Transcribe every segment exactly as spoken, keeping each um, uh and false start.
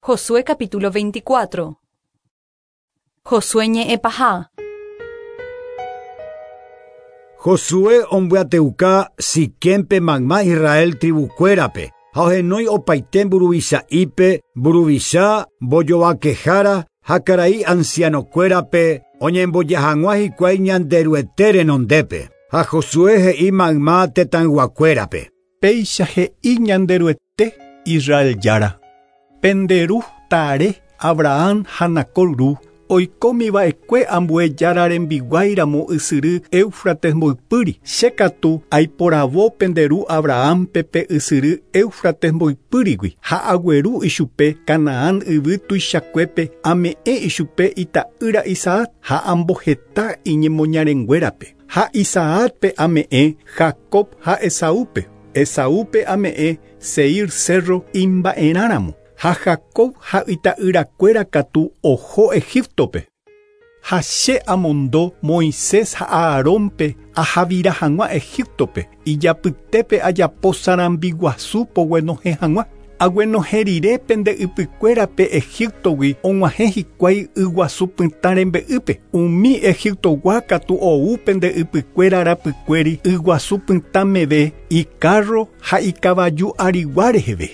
Josué capítulo veinticuatro. Josué ñe'ẽpaha. Josué ombyateuka Siquempe mayma Israel tribukuérape ha ohenói opaite mburuvicha'ípe mburuvicha mbojovakehára ha karai ancianokuérape oñemboja hag̃ua hikuái Ñanderuete renondépe. Ha Josué he'i mayma tetãyguakuérape. Péicha he'i Ñanderuete Israel Jára. Penderu Tare Abraham ha Nacor ru oikómiva'ekue ambue Jára rembiguáiramo ysyry Éufrates mboypýri. Che katu aiporavo penderu Abrahampe pe ysyry Éufrates mboypýrigui ha agueru ichupe Canaán yvy tuichakuépe ame'ẽ ichupe ita'ýra Isaac ha amboheta iñemoñarenguérape. Ha Isaacpe ame'ẽ Jacob ha Esaúpe. Esaúpe ame'ẽ Seir cerro imba'erãramo. Ha Jacob ha ita'yrakuéra katu oho Egiptope. Ha che amondo Moisés ha Aarónpe ahavira hag̃ua Egiptope ijapytépe ajapo sarambi guasu poguenohẽ hag̃ua. Aguenohẽ rire pende ypykuérape Egiptogui og̃uahẽ hikuái yguasu pytã rembe'ýpe. Umi Egiptogua katu ou pende ypykuéra rapykuéri yguasu pytã meve icarro ha ikavaju arigua reheve.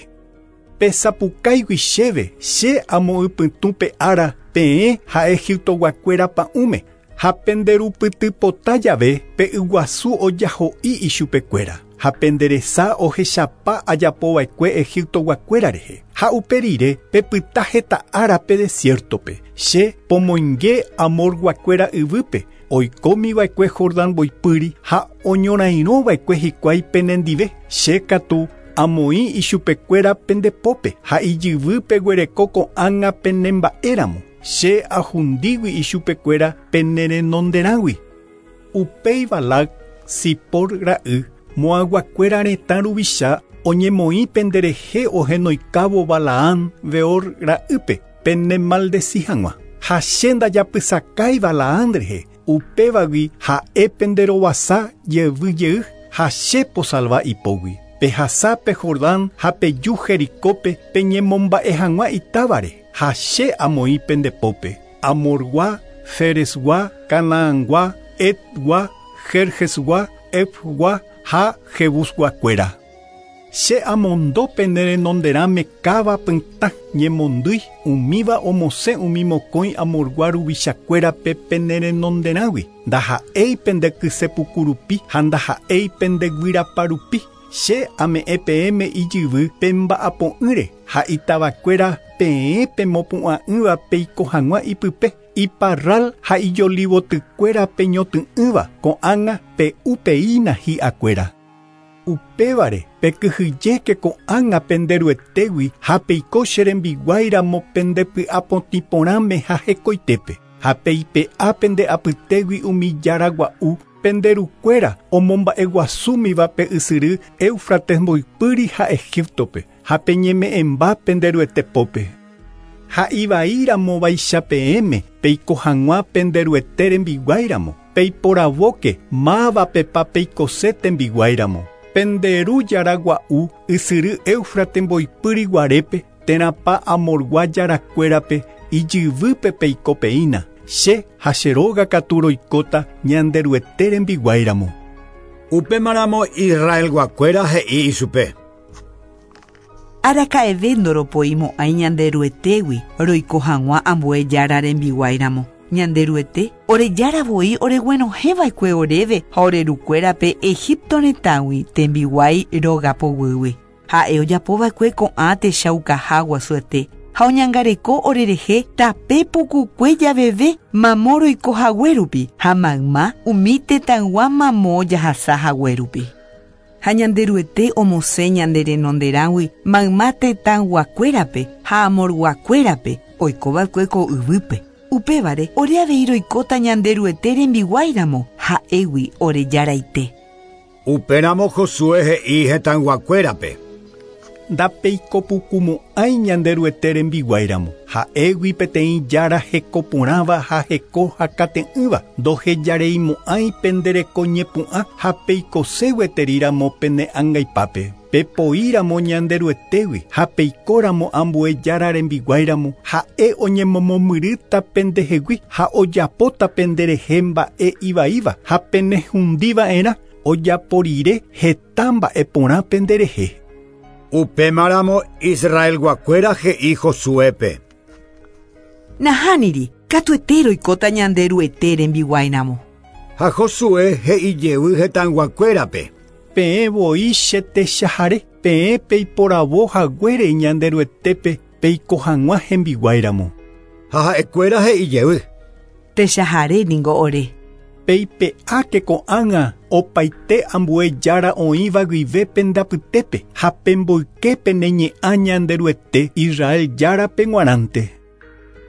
Pesapukáigui chéve che amoypytũ pe ára peẽ ha Egiptoguakuéra pa'ũme ha penderupytypota jave pe yguasu ojaho'i ichupekuéra ha penderesa ohechapa ajapova'ekue Egiptoguakuéra rehe. Ha upe rire pepyta heta ára pe desiertope. Che pomoinge Amorguakuéra yvýpe oikómiva'ekue Jordán mboypýri ha oñorairõva'ekue hikuái penendive. Che katu amoĩ ichupekuéra pendepópe ha ijyvýpe guereko ko'ág̃a penemba'éramo. Che ahundígui ichupekuéra penerenonderãgui. Upéi Balac Sipor ra'y Moaguakuéra retã ruvicha oñemoĩ penderehe ohenoikávo Balaam Beor ra'ýpe penemaldeci hag̃ua. Ha che ndajapysakái Balaam rehe upévagui ha'e penderovasa jeyvy ha che posalva ipógui. Pehasa pe Jordán ha peju Jericópe peñemomba'e hag̃ua itávare ha che amoĩ pendepópe. Amorgua, Feresgua, Canaangua, Etgua, Jerjesgua, Efgua ha Jebusguakuéra. Che amondo penerenonderãme káva pytã ñemondýi umíva omosẽ umi mokõi Amorgua ruvichakuérape penerenonderãgui. Ndaha'éi pendekysepukurupi ha ndaha'éi pendeguyrapa rupi. Che ame'ẽ peẽme ijyvy pemba'apo'ỹre ha itavakuéra peẽ pemopu'ã'ỹva peiko hag̃ua ipype. Iparral ha ijolivotykuéra peñoty'ỹva ko'ág̃a pe'upeína hi'akuéra. Upévare pekyhyjéke ko'ág̃a penderuetégui ha peiko che rembiguáiramo pendepy'apotĩ porãme ha hekoitépe. Ha peipe'a pende apytégui umi jára gua'u penderukuéra omomba'eguasúmiva pe ysyry Éufrates mboypýri ha Egiptope ha peñeme'ẽmba penderuete pópe. Ha ivaíramo vaicha peẽme peiko hag̃ua penderuete rembiguáiramo peiporavóke mávapepa peikose tembiguáiramo. Penderu jára gua'u ysyry Éufrates mboypýri guarépe térãpa Amorgua jarakuérape ijyvýpe peikopeína. Che ha che róga katu roikóta Ñanderuete rembiguáiramo. Upémaramo Israelguakuéra he'i ichupe. Araka'eve ndoropoimo'ãi Ñanderuetégui roiko hag̃ua ambue Jára rembiguáiramo. Ñanderuete ore Jára voi oreguenohẽva'ekue oréve ha ore rukuérape Egipto retãgui tembiguái róga poguýgui. Ha'e ojapova'ekue ko'ã techaukaha guasuete ha oñangareko orerehe tape pukukue javeve mamo roiko haguérupi ha mayma umi tetãygua mamo jahasa haguérupi. Ha Ñanderuete omosẽ ñande renonderãgui mayma tetãyguakuérape ha Amorguakuérape oikova'ekue ko yvýpe. Upévare ore avei roikóta Ñanderuete rembiguáiramo ha'égui ore Jaraite. Upéramo Josué he'i hetãyguakuérape. Ndapeikopukumo'ãi Ñanderuete rembiguáiramo. Ha'égui peteĩ jára hekoporãva ha heko hakate'ỹva. Ndohejareimo'ãi penderekoñepu'ã ha peikoségueteriramo pene angaipápe. Pepoíramo Ñanderuetégui ha peikóramo ambue jára rembiguáiramo ha'e oñemomomyrýta pendehegui ha ojapóta penderehe mba'e ivaíva ha penehundiva'erã ojaporire heta mba'e porã penderehe. Upémaramo Israelguakuéra he'i Josuépe. Nahániri, katuete roikóta Ñanderuete rembiguáiramo. Ha Josué he'i jey hetãyguakuérape. Peẽ voi che techahare, peẽ peiporavo haguére Ñanderuetépe peiko hag̃ua hembiguáiramo. Ha ha'ekuéra he'i jey. Techahare ningo ore. Peipe'áke ko'ág̃a opaite ambue jára oĩva guive pendapytépe ha pemboyke pene ñe'ã Ñanderuete Israel járape g̃uarãnte.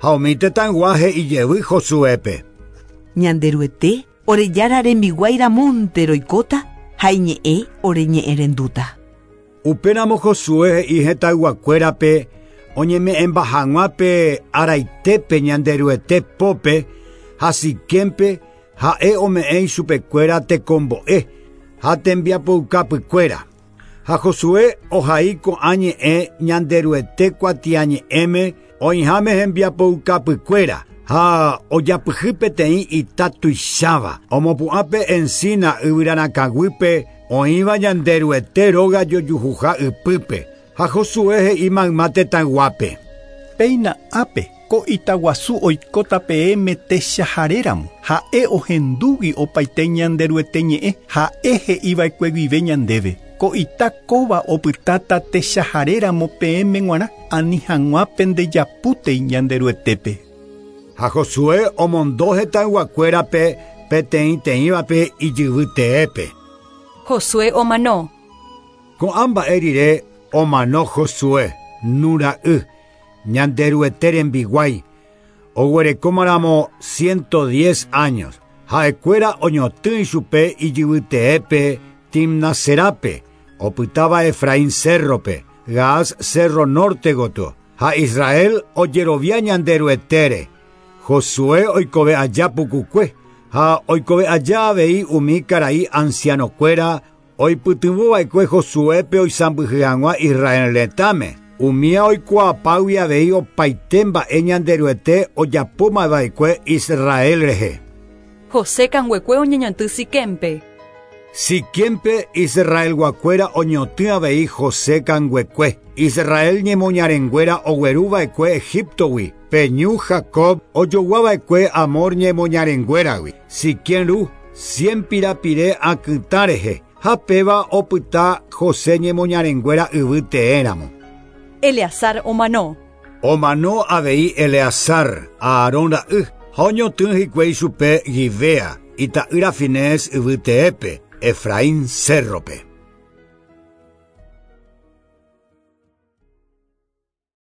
Ha umi tetãygua he'i jey Josuépe. Ñanderuete ore jára rembiguáiramonte roikóta ha iñe'ẽ ore ñe'ẽrendúta. Upéramo Josué he'i hetãyguakuérape oñeme'ẽmba hag̃uápe araitépe Ñanderuete pópe ha Siquémpe ha'e ome'ẽ ichupekuéra tekombo'e ha tembiapoukapykuéra. Ha Josué ohai ko'ã ñe'ẽ Ñanderuete kuatiañe'ẽme oĩháme hembiapoukapykuéra ha ojapyhy peteĩ ita tuicháva omopu'ãpe encina yvyrarakãguýpe oĩva Ñanderuete róga jojuhuha ypýpe. Ha Josué he'i mayma tetãyguápe. Péina ápe ko itaguasu oikóta peẽme techaharéramo. Ha'e ohendúgui opaite Ñanderuete ñe'ẽ ha'e he'iva'ekue guive ñandéve. Ko ita kóva opytáta techaharéramo peẽme g̃uarã ani hag̃ua pendejapútei Ñanderuetépe. Ha Josué omondo hetãyguakuérape peteĩteĩvape ijyvyteépe. Josué omano. Ko'ã mba'e rire omano Josué, Nun ra'y, Ñanderuete rembiguái, oguerekómaramo ciento diez años. Ha'ekuéra oñotỹ ichupe ijyvyteépe Timnaserápe, opytáva Efraín cérrope, Gaas cerro norte gotyo. Ha Israel ojerovia Ñanderuetére. Josué oikove aja pukukue, ha oikove aja avei umi karai ancianokuéra oipytyvõva'ekue Josuépe oisãmbyhy hag̃ua Israel retãme. Umía oikuaapágui avei opaite mba'e Ñanderuete ojapómava'ekue Israel rehe. José kanguekue oñeñotỹ Siquémpe. Siquémpe Israelguakuéra oñotỹ avei José kanguekue. Israel ñemoñarenguéra ogueruva'ekue Egiptogui. Pe ñu Jacob ojoguava'ekue Amor ñemoñarenguéragui. Siquem ru cien pirapire akytã rehe. Ha péva opyta José ñemoñarenguéra yvy teéramo. Eleazar omano. Omano avei Eleazar, Aarón ra'y, ha oñotỹ hikuái chupe Gibea, ita'ýra Finés yvy teépe, Efraín cérrope.